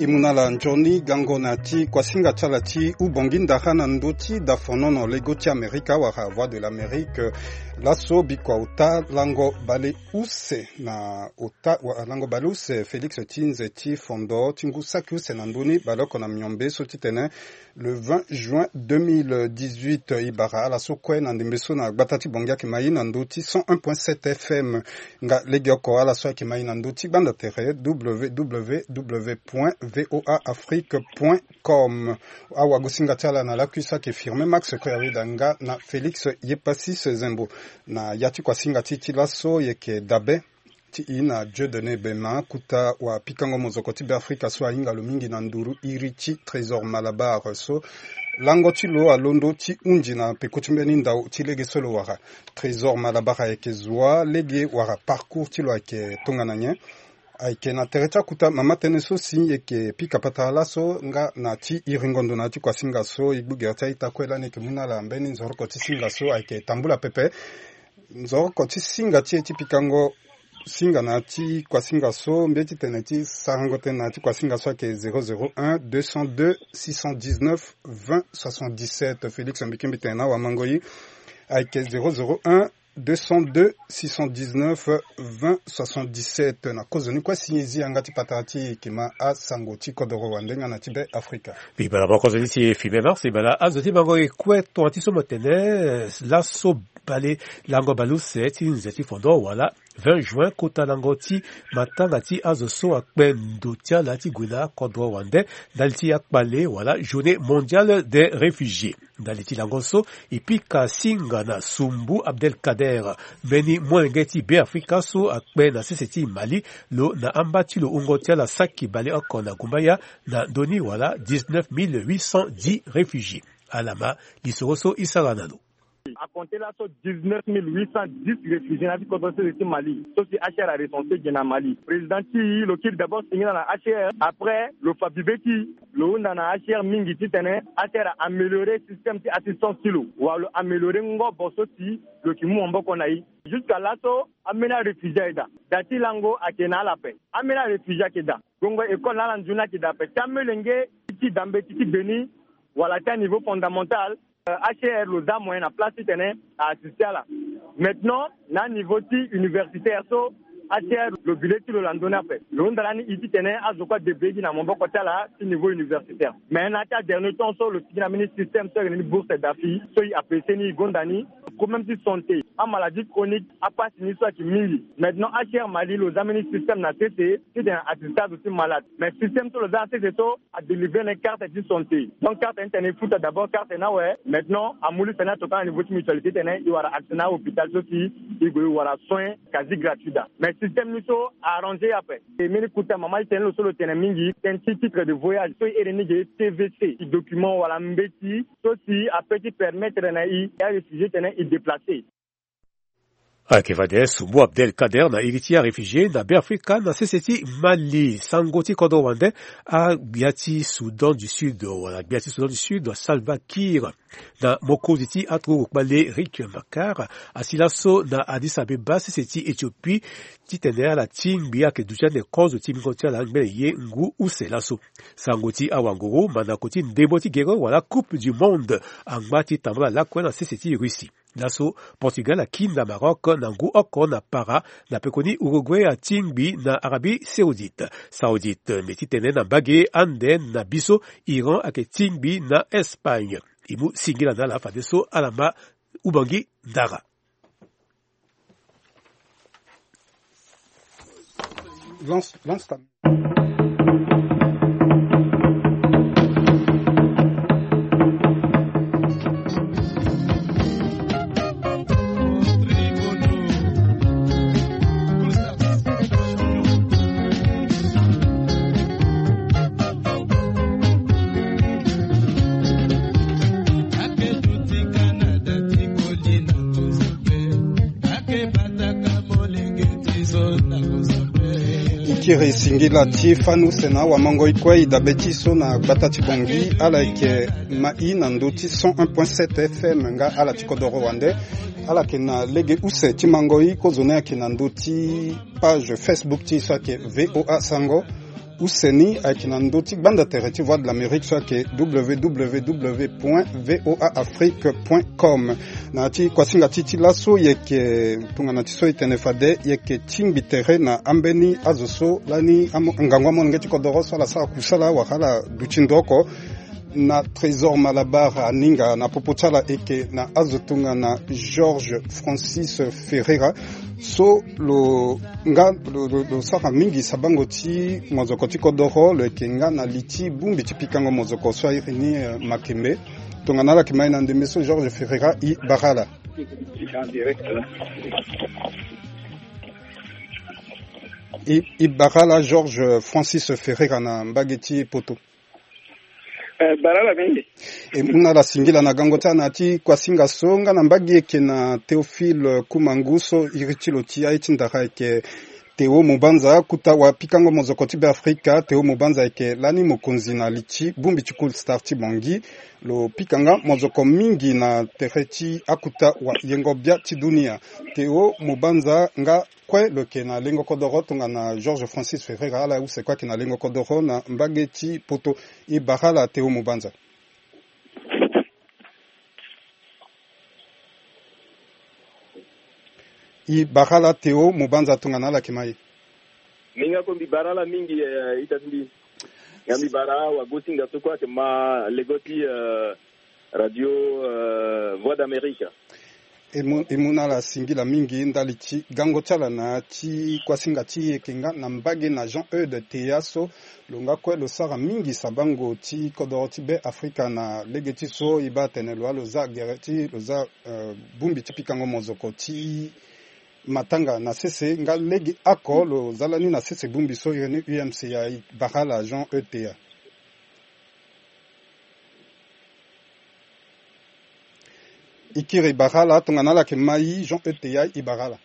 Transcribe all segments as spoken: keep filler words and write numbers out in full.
E mu na ala nzoni gango na ti kuasinga ti ala ti Ubongi Ndara na ndö ti dafonono lego ti Amerika wala Voix de l'Amérique. Laso bikua ota lango bale use na ota wa- lango bale use Félix ti nze ti fondo ti ngu saki use na ndö ni baleoko na miombe so titene le vingt juin deux mille dix-huit, e bara ala so kue na ndembe so na gbata ti Bongi ayeke ma e na ndö ti cent un point sept F M. Nga legeoko ala so ayeke ma e na ndö ti gbanda tere w w w point v o a afrique point com. Awagosinga ti ala na lakui so ayeke Firmin Max Koyaweda nga na Félix Yepasis Zembo. Na ya ti kuasinga ti e ti laso e yeke dabe ti e na Dieudonné Bema, kota wapikango mozoko ti Beafrika so ahinga lo mingi na nduru iri ti Trésor Malabar so lango ti lo alondo ti hunzi na peko ti mbeni ndau ti lege so lo wara. Trésor Malabar ayeke zo wa lege wala parcours ti lo ayeke tongana nyen? Ayeke na tere ti akuta mama tënë so si e yeke pika patara laso nga na ti iringo ndo na ya ti kuasinga so e gbu gere ti a-ita kue lani e yeke mu na ala mbeni nzoroko ti singa so ayeke tambula pepe. Nzoroko ti singa ti e ti pikango singa na ya ti kuasinga so, mbi ye ti tene ti sarango tënë na ya ti kuasinga so ayeke zéro zéro un deux cent deux six cent dix-neuf vingt soixante-dix-sept. Félix Mbikimbi tene na wamango e ayeke zéro zéro un deux cent deux six cent dix-neuf vingt soixante-dix-sept. Na kozoni kue si e zi yanga ti patara ti e, e yeke ma asango ti kodoro wande nga na ti Be Afrika. Mbi bala moko kozoni ti e Firmin Max, e bala azo ti bango e kue tonga ti so mo tene laso bale lango bale use ti nze ti fondo wala vingt juin kota lango ti matanga ti azo so akpe ndo ti ala ti gue na kodro wande ndali ti akpale wala journée mondiale des réfugiés. Ndali ti lango so e pika singa na Sumbu Abdelkader, mbeni molenge ti Beafrika so akpe na sese ti Mali, lo na amba ti lo wungo ti ala saki baleoko na gumbaya na ndö ni wala dix-neuf mille huit cent dix réfugiés. Ala ma lisoro so e sara na lo. A compter laso dix-neuf mille huit cent dix réfugiés na ya ti kodro sese ti Mali so si H C R a recensé ge na Mali. Président ti e lo kiri d'abord singila na H C R, après lo fa bibe ti e, lo hunda na H C R mingi titene H C R a améliorer système ti assistance ti lo, wala lo améliorer ngobo so si lo yeke mu maboko na e. Jusqu'à laso ambeni aréfugié ayeke daa. Da ti lango ayeke na ala ape. Ambeni aréfugié ayeke daa. Gongo école na ala nzoni ayeke daa ape. Ti amolenge ti da mbeti ti gbe ni wala ti aniveau fondamental, euh, H C R lo za moyen na place titene a assister ala. Maintenant na aniveau ti universitaire so, H C R lo bi le ti lo lando ni ape. Lo hunda lani e titene azo kue adébrouiller gi na maboko ti ala ti niveau universitaire. Mais na ya ti adernier temps so lo sigi na mbeni système so ayeke na ni bourse d'AFI so e apprécier ni, e gonda ni. Problème ti santé, amaladie chronique, apasi ni so ayeke mingi. Maintenant H C R Mali lo za mbeni système na sese titene a assister azo ti malade. Mais système so lo za na sese so, a délivrer na e carte ti santé. Donc carte ni tene e futa d'abord carte ni awe. Maintenant amu liste ni atokua na niveau ti mutualité titene e wara accès na ahôpital so si e gue e wara soin quasi gratuit daa. Mais système ni so a arranger e ape. E mbeni kota mama ti tene lo so lo tene mingi, tënë ti titre de voyage so e iri ni ge T V C, ti document wala mbeti so si apeut ti permettre na e, e aréfugié titene e déplacer. Ayeke fade Sumbu Abdelkader na iri ti aréfugié na Beafrika na sese ti Mali. Sango ti kodro wande, agbia ti Soudan du Sud wala gbia ti Soudan du Sud Salva Kiir na mokonzi ti aturugu kpale Riek Machar asi laso na Addis Abeba, sese ti Éthiopie, titene ala tingbi ayeke duti ande kozo ti mingo ti ala ngbene ye ngu use laso. Sango ti awanguru, mandako ti ndembo ti gere wala Coupe du Monde angba ti tambula lakue na sese ti Russie. Laso Portugal akiri na Maroc na ngu oko na para, na pekoni Uruguay atingbi na Arabie Saoudite. Saoudite mbi ti tene na mbage ande na biso, Iran ayeke tingbi na Espagne. E mu singila na ala fadeso ala ma Ubongi Ndara. Lance, lance ta. Ikiri singila ti fani use na awamangoi kue i dabe ti so na gbata ti Bangui, ala yeke ma i na ndö ti cent un point sept F M nga ala ti kodoro wande. Ala yeke na lege use ti mangoi, kozoni ayeke na ndö ti page Facebook ti so ayeke V O A Sango. Use ni ayeke na ndö ti gbanda tere ti Voix de l'Amérique so ayeke w w w point v o a afrique point com. Na ya ti kuasinga ti ti laso e yeke tongana ti so e tene fade e yeke tingbi tere na ambeni azo so lani amo- ngangu amolenge ti kodoro so ala sara kusala wala ala duti ndo oko. Na Trésor Malabar aninga na popo ti ala e yeke na azo tongana Georges Francis Ferreira so lo nga lo, lo, lo sara mingi sabango ti mozoko ti kodoro, lo yeke nga na li ti bongbi ti pikango mozoko so airi ni, eh, makembe. Tongana ala yeke mai na ndembe so, Georges Ferreira, e bara ala. E, e bara ala Georges Francis Ferreira na mbage ti poto. Eh, bara ala mingi. E mu na ala singila na gango ti ala na ya ti kuasinga so nga na mbage e yeke na Théophile Koumangu so iri ti lo ti aye ti ndara ayeke Théo Mubanza, kota wapikango mozoko ti Beafrika. Théo Mubanza ayeke lani mokonzi na li ti bongbi ti Cool Star ti Bangui. Lo pika nga mozoko mingi na tere ti akota wayengo bia ti dunia. Théo Mubanza nga kue lo yeke na lengo kodoro tongana Georges Francis Ferreira, ala use kue ayeke na lengo kodoro na mbage ti poto. E bara ala Théo Mubanza. E bara ala Théo Mubanza tongana ala yeke mai. Mingi ako mbi bara ala mingi, eh, ita ti mbi. Nga mbi bara wagosinga so kue ayeke ma lego ti, eh, radio, eh, Voix d'Amérique. E mu, e mu na ala singila mingi ndali ti gango ti ala na ya ti kuasinga ti e yeke nga na mbage na Jean Eude Teya so lo nga kue lo sara mingi sabango ti kodoro ti Beafrika na lege ti so e baa tene lo wa lo za gere ti lo za, eh, bongbi ti pikango mozoko ti matanga na sese nga lege oko lo za lani na sese bongbi so iri ni U M C ya. E bara ala Jean Eude Teya. E kiri, e bara ala tongana ala yeke mai Jean Eude Teya, e bara ala.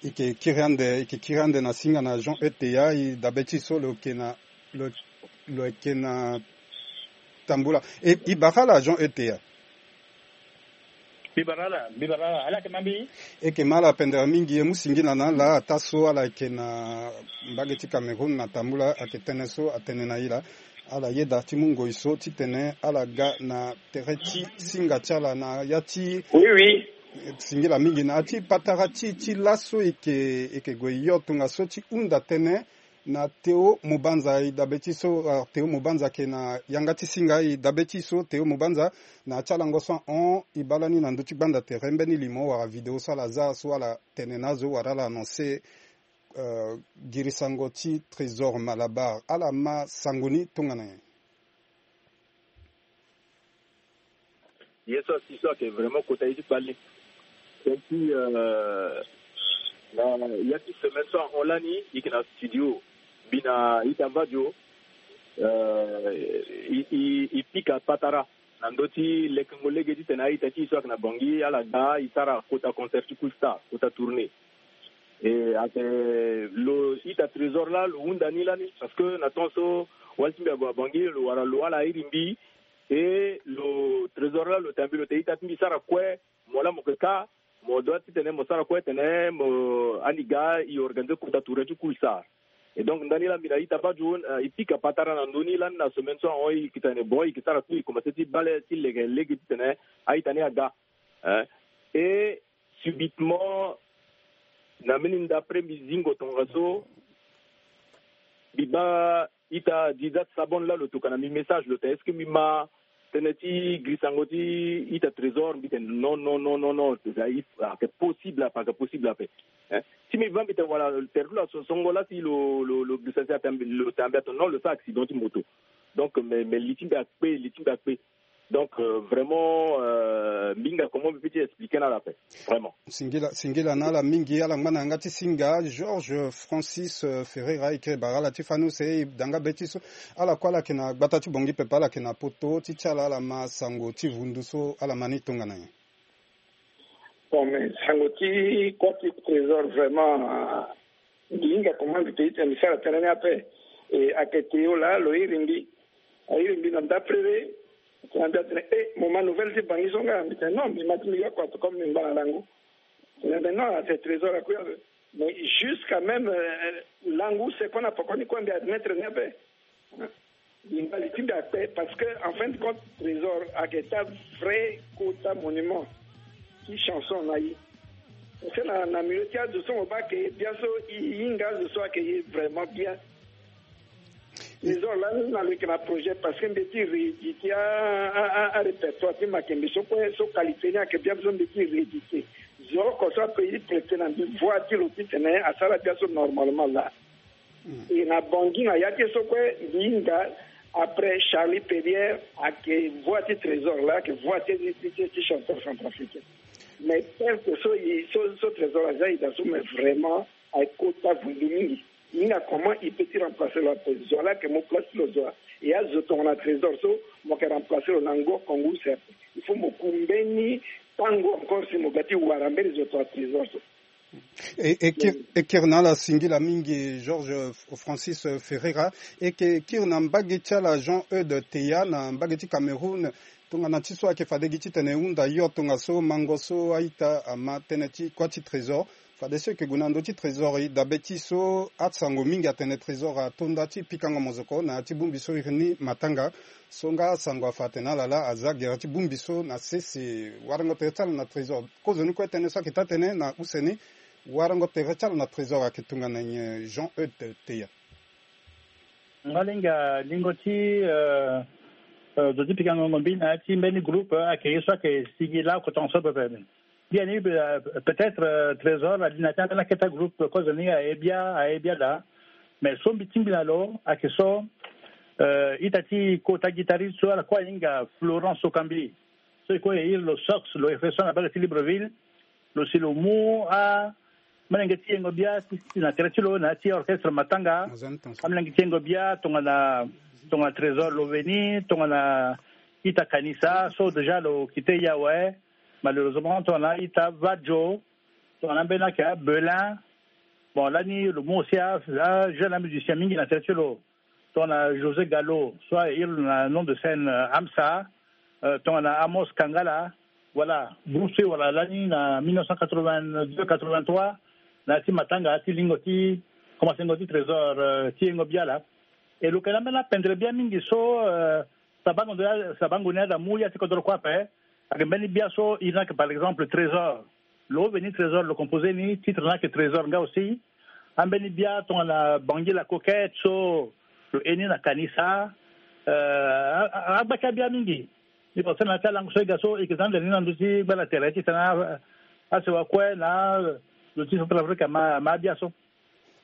E yeke kiri ande, e yeke kiri ande na singa na Jean Eude Teya, e dabe ti so lo yeke na, lo, lo yeke na tambula. E, e bara ala Jean Eude Teya. Mbi bara ala, mbi bara ala, ala yeke ma mbi? E yeke ma ala pendere mingi, e mu singila na ala ataa so ala yeke na mbage ti Cameroun na tambula, ayeke tënë so atene na e laa. Ala yeda ti mu ngoi so titene ala ga na tere ti singa ti ala na ya ti. Oui, oui. Singila mingi na ya ti patara ti, ti laso e yeke, e yeke gue yo tongaso ti hunda tënë na Théo Mubanza, e dabe ti so, ah, Théo Mubanza ayeke na yanga ti singa, e dabe ti so Théo Mubanza na ya ti alango so ahon e baa lani na ndö ti gbanda tere mbeni limo wala video so ala za so ala tene na azo wala ala annoncer, euh, girisango ti Trésor Malabar. Ala ma sango ni tongana nyen? Ye so asi so ayeke vraiment kota ye ti kpale. Tënë ti, euh, na ya ti semaine so ahon lani, e yeke na studio, mbi na ita vadio, euh, e, e, e pika patara na ndö ti lekengo lege titene a-ita ti e so ayeke na Bangui ala ga e sara kota concert ti Cool Star, kota tournée. E ayeke lo ita Trésor laa lo hunda ni lani, parce que na temps so wali ti mbi ague na Bangui, lo wara lo ala iri mbi, e lo Trésor laa lo tene mbi lo tene ita ti mbi sara kue, mo laa mo yeke ka, mo doit titene mo sara kue tene mo, andi ga e organiser kota tournée ti Cool Star. Et donc ndani laa mbi na ita vadio, euh, e pika patara na ndö ni lani na semaine so ahon, e yeke tene bon, e yeke sara tout, e commencer ti bale ti lege lege titene a-ita ni aga. Hein? Et subitement, na mbeni ndapre mbi zingo tongaso, mbi baa ita Dizat Sabon laa lo tokana mbi message, lo tene est-ce que mbi ma tënë ti girisango ti ita Trésor? Mbi tene non, non, non, non, non, c'est, ah, c'est possible ape, c'est possible ape. Hein? Si mbi va mbi tene wala tere ti lo asongo laa si lo, lo, lo girisa si atene lo tene mbi atene non, lo sara accident ti moto. Donc mais, mais li ti mbi akpe, li ti mbi akpe. Donc, euh, vraiment, euh, mbi hinga comment mbi peut ti expliquer na ala ape, vraiment. Singila, singila na ala mingi, ala ngba na yanga ti singa. Georges Francis, euh, Ferreira, e kiri bara ala ti fani use, e da nga be ti so ala kue ala yeke na gbata ti Bangui pepe, ala yeke na poto, ti ti ala, ala ma sango ti vundu so ala ma ni tongana nyen? Bon, mais sango ti kua ti Trésor vraiment, euh, mbi hinga comment mbi peut ti tene mbi sara tënë ni ape. E ayeke Théo laa lo iri mbi. Airi mbi na ndapre. Atene mbi atene, eh, mo ma nouvelle ti Bangui so nga? Mbi tene non, mbi ma ti mbi ga kua, comme mbi ngba na lango. Mbi atene non, c'est Trésor akui ape. Mais jusqu'à même, euh, langu se kona poko ni kue mbi admettre ni ape. Mbi ngba li ti mbi akpe parce que en fin de compte trésor ayeke ta vrai kota monument ti chanson na ye. Parce que na, na milieu ti azo so mo baa ayeke ye bien so, e hinga azo so ayeke ye vraiment bien. Trésor lani na lo yeke na projet parce que mbi ye ti rééditer a, a, a, a répertoire ti makembe so kue so qualité ni ayeke bien so mbi ye ti rééditer. Zo oko so ape ye prêter na mbi voix ti lo titene asara bien so normalement laa. E na bangi na ya ti e so kue mbi hinga. Après Charlie Perrier ayeke voix ti trésor laa, ayeke voix ti ti ti ti chanteur centrafricain. Mais perte so e so so trésor aza e daa so mais vraiment ayeke kota vundu mingi. E hinga comment e peut ti remplacer lo ape? Zo wa laa ayeke mu place ti lo zo wa. E azo tongana trésor so mo yeke remplacer lo na ngoko ngu use ape. Il faut mo ku mbeni tango encore si mo ga ti wara mbeni zo tongana trésor so. E, e kiri, e kiri na ala singila mingi Georges Francis Ferreira. E yeke kiri na mbage ti ala Jean Eudes Teya na mbage ti Cameroun. Tongana ti so ayeke fade gi titene e hunda yo tongaso mango so a-ita ama tënë ti kuâ ti trésor. Fade so e yeke gue na ndö ti trésor e dabe ti so asango mingi atene trésor ato nda ti pikango mozoko na ya ti bongbi so iri ni matanga. So nga asango afa atene ala laa aza gere ti bongbi so na sese. Warango tere ti ala na trésor. Kozoni kue tënë so ayeke taa tënë na use ni. Warango tere ti ala na trésor ayeke tongana nyen Jean Eudes Teya? Nga linga lingo ti, euh, euh, zo ti pikango ngombi na ya ti mbeni groupe, euh, ayeke ye so ayeke sigi laoko tongaso pepe. Biani, euh, peut-être, euh, trésor ali na ti ambeni aketa groupe kozoni aye bia aye bia daa. Mais so mbi tingbi na lo ayeke so, euh, ita ti kota guitariste so ala kue ahinga Florent Sokambi. So e kue e iri lo Sox, lo e fe so na bale ti Libreville. Lo si lo mu a Amolenge ti yengo bia ti na tere ti lo na ya ti orchestre matanga. Amolenge ti yengo bia tongana, tongana trésor lo veni tongana ita kanisa so déjà lo kite yawe. Malheureusement tongana ita vajo, tongana mbeni ake abelin. Bon lani lo mu aussi a jeune amusicien mingi na tere ti lo. Tongana José Gallo so aye iri lo na nom de scène, euh, Amsa. Euh, tongana Amos Kangala. Voilà, groupe so e wara lani na mille neuf cent quatre-vingt-deux quatre-vingt-trois na ya ti matanga ti lingo ti komansengo ti trésor, euh, ti yengo bia laa. E lo yeke na mbeni apendre bia mingi so, euh, sabango ndo ya sabango ni ada mu ya ti kodro kue ape. Ayeke mbeni bia so iri ni ayeke par exemple trésor. Lo veni trésor lo composer ni titre ni ayeke trésor nga aussi. Ambeni bia tongana bangi la coquette so lo ye ni na kanisa. Euh, agba ti abia mingi. Ni concerne na ti alango so e ga so e yeke za ndele ni na ndö ti gbala tere titene asewa kue na lo ti Centrafrique ama abia so.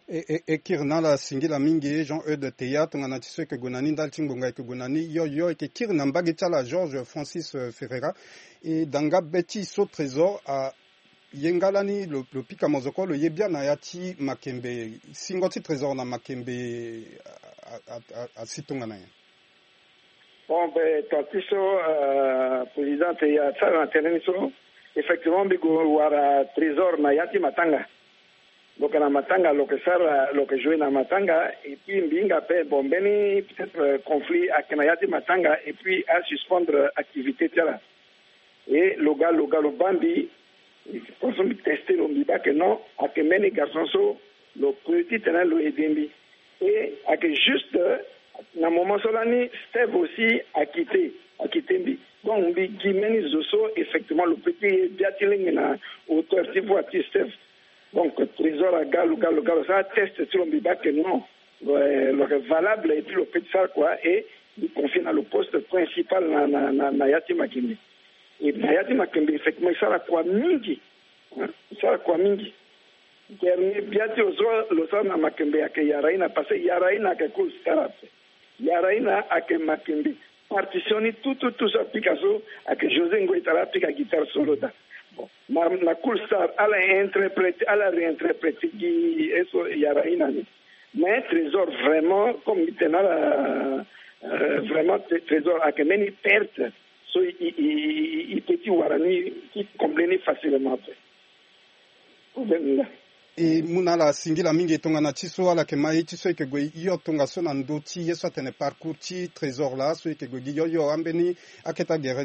E, e, e kiri na ala singila mingi Jean Eudes Teya tongana ti so e yeke gue na ni ndali ti ngbonga e yeke gue na ni yo yo e yeke kiri na mbage ti ala Georges Francis, euh, Ferreira. E danga be ti so trésor a ye nga lani lo, lo pika mozoko lo ye bia na ya ti makembe. Singo ti trésor na makembe a, a, a, a si tongana nyen? Bon, ben, tant ti so, euh, président Teya asara na tënë ni so, effectivement mbi gue wara trésor na ya ti matanga. Lo yeke na matanga lo yeke sara lo yeke jouer na matanga. Et puis mbi hinga ape bon mbeni peut-être, euh, conflit ayeke na ya ti matanga et puis asuspendre activité ti ala. Et lo ga lo ga lo baa mbi. Parce que mbi teste lo mbi baa ke non ayeke mbeni garçon so lo peut titene lo aide mbi. Et ayeke juste, euh, na moment so lani Steve aussi akite akite mbi. Donc mbi gi mbeni zo so effectivement lo peut ti ye bia ti lenge na hauteur ti voix ti Steve. Donc trésor aga lo ga lo ga lo sara teste ti lo mbi baa ke non, lo yeke valable et puis lo peut ti sara kua. Et mbi confie na lo poste principal na na na ya ti makembe. Et na ya ti makembe effectivement e sara kua mingi. E sara kua mingi. Dernier bia ti lo so lo sara na makembe ayeke yaraina parce que yaraina ayeke cool star ape. Yaraina ayeke makembe. Partition ni tout tout tout so apika so ayeke José Ngoita laa apika guitare solo daa. Bon, na na cool star ala interprète ala réinterprète gi ye so yaraina ni. Mais trésor vraiment comme mbi tene na ala, euh, vraiment trésor ayeke mbeni perte so e peut ti wara ni ti combler ni facilement ape. Problème ni laa. E mu na ala singila mingi tongana ti so ala yeke ma ye ti so e yeke gue hio tongaso na ndö ti ye so atene parcours ti trésor laa so e yeke gue gi hio hio ambeni akete agere.